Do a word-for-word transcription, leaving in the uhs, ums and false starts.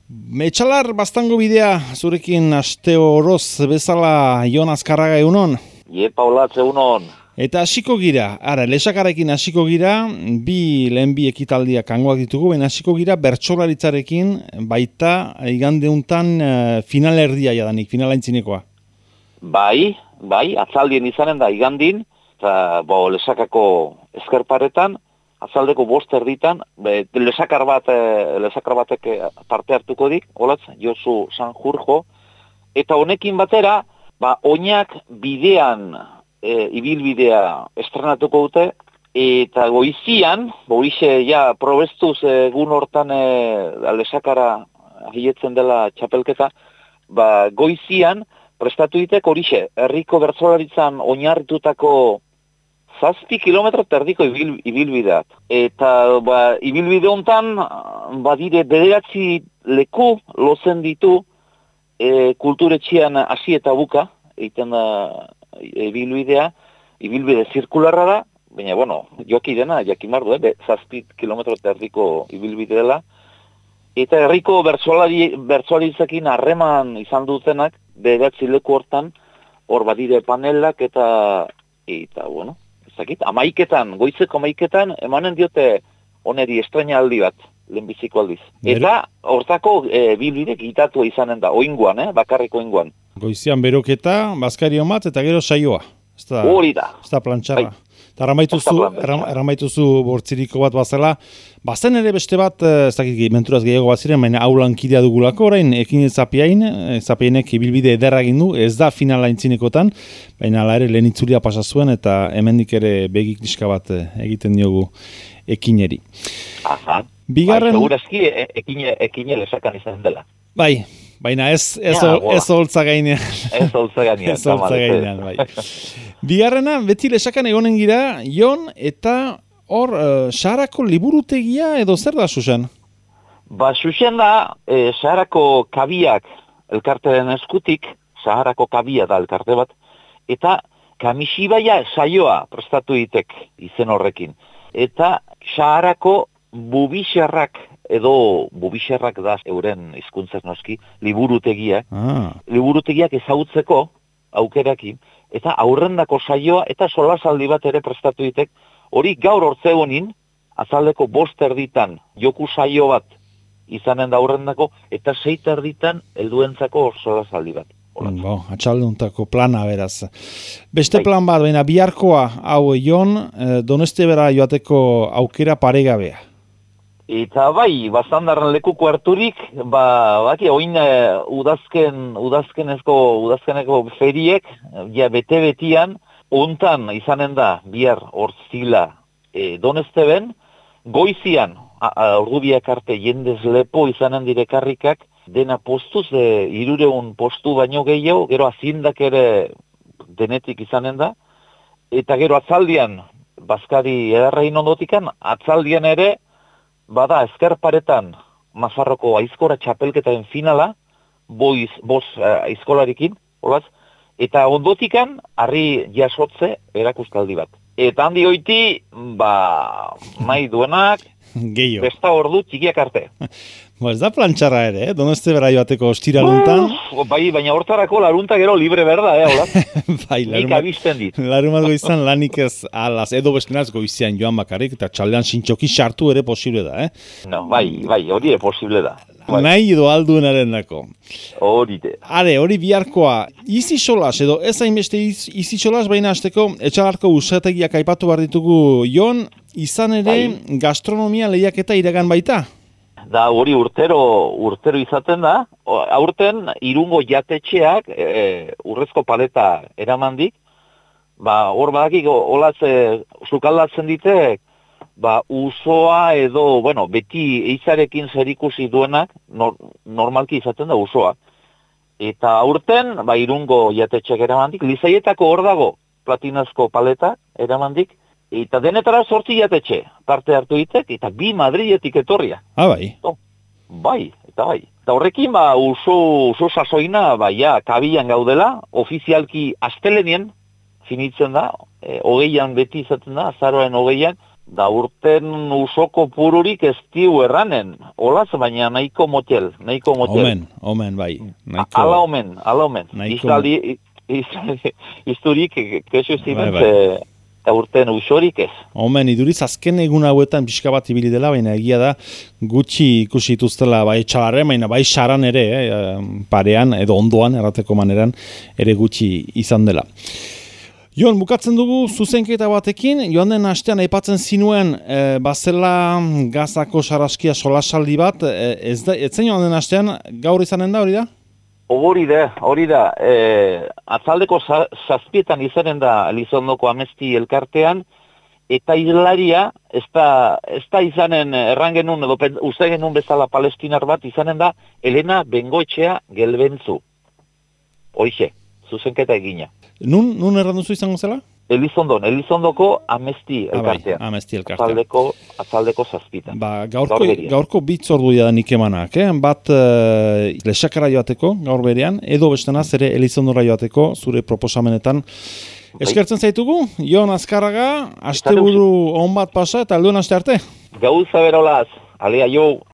Etxalar baztango bidea zurekin aste oroz bezala Jon Azkarraga egunon. Iepa olatze egunon. Eta hasiko gira, ara, lesakarekin hasiko gira, bi lehen bi ekitaldiak hangoak ditugu, baina hasiko gira bertsolaritzarekin baita igande untan uh, final erdia jadanik, finalaintzinekoa. Bai, bai, atzaldien izanen da igandin, eta bo, lesakako eskerparetan, atzaldeko bost erditan, be, lesakar bat, e, lesakar batek parte hartuko dik, olatz, Josu Sanjurjo, eta honekin batera, ba, oinak bidean, e, ibilbidea estrenatuko dute, eta goizian, boixe, ja, probestuz egun hortan e, lesakara hietzen dela txapelketa, ba, goizian, prestatu ditek horixe, herriko bertsolaritzan oinarritutako zazpi kilometro terdiko ibil, ibilbideak. Eta ba, ibilbide hontan badire bederatzi leku lotzen ditu e, kulturetxean hasi eta buka, egiten da ibilbidea, ibilbide zirkularra da, baina, bueno, joki dena, jakin bardu, eh, zazpi kilometro terdiko ibilbide dela, eta herriko bertsolari, bertsolaritzakin harreman izan dutenak, bederatzi leku hortan, hor badire panelak eta, eta, bueno, ezakit, amaiketan, goizeko amaiketan, emanen diote oneri estrenaldi bat, lehenbiziko aldiz. Eta hortako e, bilbide gitatua izanen da, oinguan, eh, bakarriko oinguan. Goizian beroketa, bazkari omat, eta gero saioa. Hori da. Ez da plantxarra. Eta erramaituzu bortziriko bat bazela. Bazen ere beste bat, ez dakit menturaz gehiago bat ziren, baina aulan kidea dugulako, orain, ekin zapiain, zapiainek ibilbide ederra egin du, ez da finala intzinekotan, baina ala ere lehen itzulia pasa zuen, eta hemendik ere begik diska bat egiten diogu ekineri. Aha. Bigarren... Bai, segurazki ekine, ekine lesakan izan dela. Bai, baina ez ez ja, ez holtza gainean. Ez holtza gainean. Ez holtza gainean, bai. Bigarrena, beti lesakan egonen gira, Jon, eta hor, uh, Saharako liburutegia edo zer da, Susan? Ba, Susan da, e, Saharako kabiak elkarteren eskutik, Saharako kabia da elkarte bat, eta Kamishibaia saioa prestatu ditek izen horrekin. Eta Saharako bubixarrak, edo bubixarrak da euren hizkuntzaz noski, liburutegia. Ah. Liburutegiak ezagutzeko aukerakin, eta aurrendako saioa eta solasaldi bat ere prestatu ditek, hori gaur hortzegonin, azaldeko bost erditan joku saio bat izanen da aurrendako, eta seit erditan helduentzako solasaldi bat. Bo, atxalduntako plana beraz. Beste plan bat, baina biharkoa hau Jon, Donostebera joateko aukera paregabea. Eta bai, bastandarren lekuko harturik, ba, baki, oin uh, udazken, udazkenezko, udazkeneko feriek, ja, bete-betian, ontan izanen da, bihar horzila e, Donesteben, goizian, ordubiak arte jendez lepo izanen direkarrikak, dena postuz, e, irureun postu baino gehiago, gero azindak ere denetik izanen da, eta gero atzaldian, bazkari edarrain ondotikan, atzaldian ere, bada ezkerparetan Mazarroko aizkora txapelketaren finala, boiz, boz uh, aizkolarikin, olaz, eta ondotikan, harri jasotze erakustaldi bat. Eta handi hoiti, ba, mai duenak, besta ordu txikiak arte. Ba, ez da plantxarra ere, eh? Donostebera joateko ostiraluntan. Bai, baina hortarako larunta gero libre berda, eh, hola? Bai, nik abisten dit. Larumat goizan lanik ez alaz, edo beskenaz goizian joan bakarrik, eta txaldean sintxoki sartu ere posible da, eh? No, bai, bai, hori ere posible da. Bai. Nahi edo alduenaren dako. Hori de. Are, hori biharkoa, izi solas, edo ez hainbeste iz, izi solas, baina azteko, etxalarko usategiak aipatu behar ditugu Jon, izan ere bai. Gastronomia lehiaketa iragan baita? Da hori urtero urtero izaten da, aurten irungo jatetxeak e, urrezko paleta eramandik, ba hor badakik olaz e, sukaldatzen ditek, ba usoa edo, bueno, beti eizarekin zerikusi duenak, nor, normalki izaten da usoa. Eta aurten, ba irungo jatetxeak eramandik, Lizaietako hor dago platinazko paleta eramandik, eta denetara sortzi jatetxe, parte hartu ditek, eta bi Madriletik etorria. Ah, bai. Oh, bai, eta bai. Eta horrekin, ba, uso, uso sasoina, ba, ja, kabian gaudela, ofizialki astelenien finitzen da, e, hogeian beti izaten da, azaroaren hogeian, Da urten usoko pururik ez diu erranen. Olaz, baina nahiko motel, nahiko motel. Omen, omen, bai. Nahiko... Ala omen, ala omen. Izali, izali, izturik, kesu zimen, bai, bai. Eta urten usorik ez. Omen, iduriz azken egun hauetan pixka bat ibili dela, baina egia da gutxi ikusi dituztela bai txalarren, baina bai saran ere, eh, parean edo ondoan, errateko maneran, ere gutxi izan dela. Jon, bukatzen dugu zuzenketa batekin, joan den astean aipatzen zinuen e, bazela Gazako sarraskia solasaldi bat, e, ez da, etzen joan den astean gaur izanen da, hori da? Hori da, hori da. E, atzaldeko zazpietan izanen da Elizondoko Amesti elkartean, eta hilaria, ez da, ez da izanen errangenun, edo uste genuen bezala palestinar bat, izanen da Elena Bengoetxea Gelbentzu. Hoixe, zuzenketa egina. Nun, nun erranduzu izango zela? Elizondon, Elizondoko Amesti elkartean. Ah, bai, Amesti elkartean. Atzaldeko, atzaldeko zazpitan. Ba, gaurko, gaurko bitz ordu da nik emanak, eh? Bat uh, lesakara joateko, gaur berean, edo bestenaz ere Elizondora joateko, zure proposamenetan. Eskertzen zaitugu, Jon Azkarraga, asteburu on bat pasa eta alduen aste arte. Gauza berolaz, alea jo.